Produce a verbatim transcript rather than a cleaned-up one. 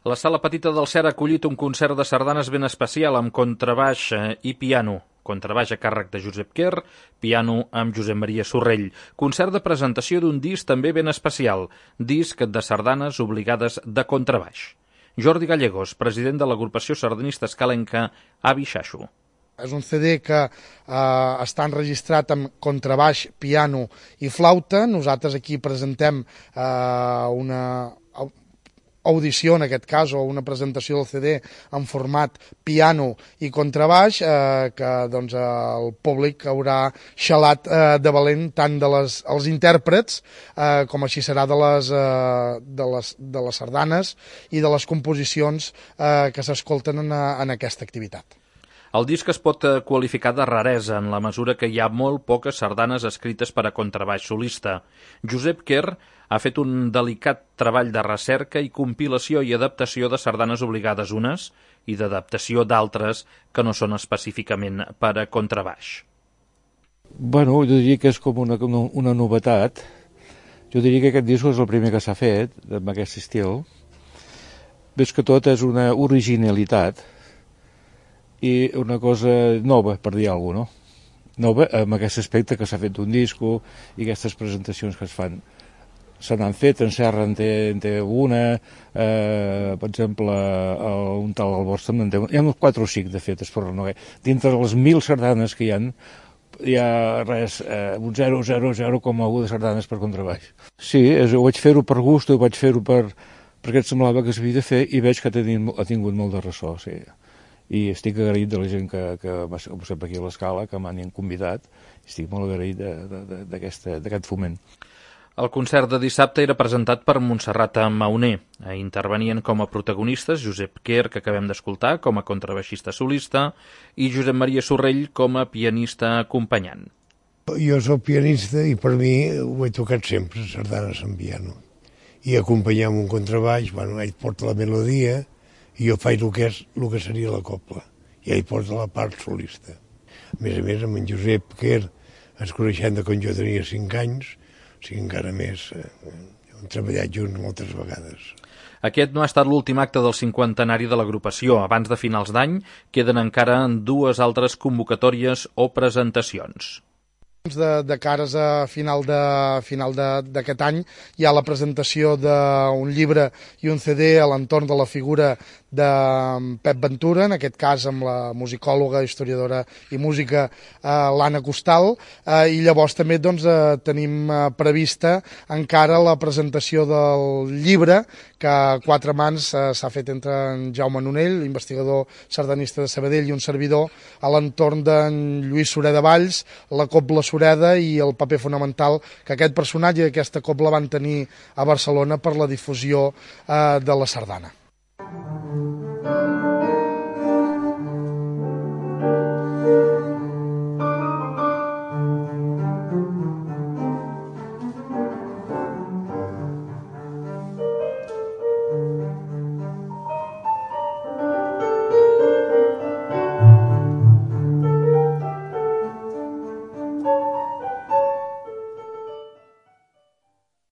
La Sala Petita del Cera ha acollit un concert de sardanes ben especial amb contrabaix i piano. Contrabaix a càrrec de Josep Quer, piano amb Josep Maria Sorrell. Concert de presentació d'un disc també ben especial, disc de sardanes obligades de contrabaix. Jordi Gallegos, president de l'agrupació sardanista escalenca Avi Xaxo. És un C D que eh, està enregistrat amb contrabaix, piano i flauta. Nosaltres aquí presentem eh, una audició, en aquest cas, o una presentació del C D en format piano i contrabaix, eh, que doncs, el públic haurà xalat eh, de valent tant de les, els intèrprets eh, com així serà de les, eh, de, les, de les sardanes i de les composicions eh, que s'escolten en, en aquesta activitat. El disc es pot qualificar de raresa en la mesura que hi ha molt poques sardanes escrites per a contrabaix solista. Josep Quer ha fet un delicat treball de recerca i compilació i adaptació de sardanes obligades unes i d'adaptació d'altres que no són específicament per a contrabaix. Bueno, jo diria que és com una, una novetat. Jo diria que aquest disc és el primer que s'ha fet amb aquest estil. Ves que tot és una originalitat i una cosa nova, per dir alguna cosa, no? Nova amb aquest aspecte que s'ha fet d'un disco i aquestes presentacions que es fan. Se n'han fet, en Serra en té, en té una, eh, per exemple, el, un tal Albost en té una. Hi ha uns quatre o cinc, de fet, per no. Dintre de les mil sardanes que hi ha, hi ha res, eh, un zero coma zero coma u de sardanes per contrabaix. Sí, és, ho vaig fer-ho per gust, ho vaig fer-ho per, perquè em semblava que s'havia de fer i veig que ha tingut, ha tingut molt de ressò, sí. I estic agraït de la gent que, que m'ha posat aquí a l'Escala, que m'han convidat, estic molt agraït d'aquest foment. El concert de dissabte era presentat per Montserrat Mauner. Intervenien com a protagonistes Josep Quer, que acabem d'escoltar, com a contrabaixista solista, i Josep Maria Sorrell com a pianista acompanyant. Jo soc pianista i per mi ho he tocat sempre, sardanes en piano. I acompanyar amb un contrabaix, bueno, ell porta la melodia, i jo faig el que, és, el que seria la copla, i ell posa la part solista. A més a més, amb en Josep Quer ens coneixem de quan jo tenia cinc anys, o sigui, encara més, eh, hem treballat junts moltes vegades. Aquest no ha estat l'últim acte del cinquantenari de l'agrupació. Abans de finals d'any queden encara dues altres convocatòries o presentacions. De, de cares a final de final d'aquest any hi ha la presentació d'un llibre i un C D a l'entorn de la figura de Pep Ventura, en aquest cas amb la musicòloga, historiadora i música eh, l'Anna Costal, eh, i llavors també doncs, eh, tenim eh, prevista encara la presentació del llibre que a quatre mans eh, s'ha fet entre en Jaume Nonell, investigador sardanista de Sabadell, i un servidor a l'entorn d'en Lluís Sureda Valls, la Cobla Sureda i el paper fonamental que aquest personatge i aquesta cobla van tenir a Barcelona per la difusió eh, de la sardana.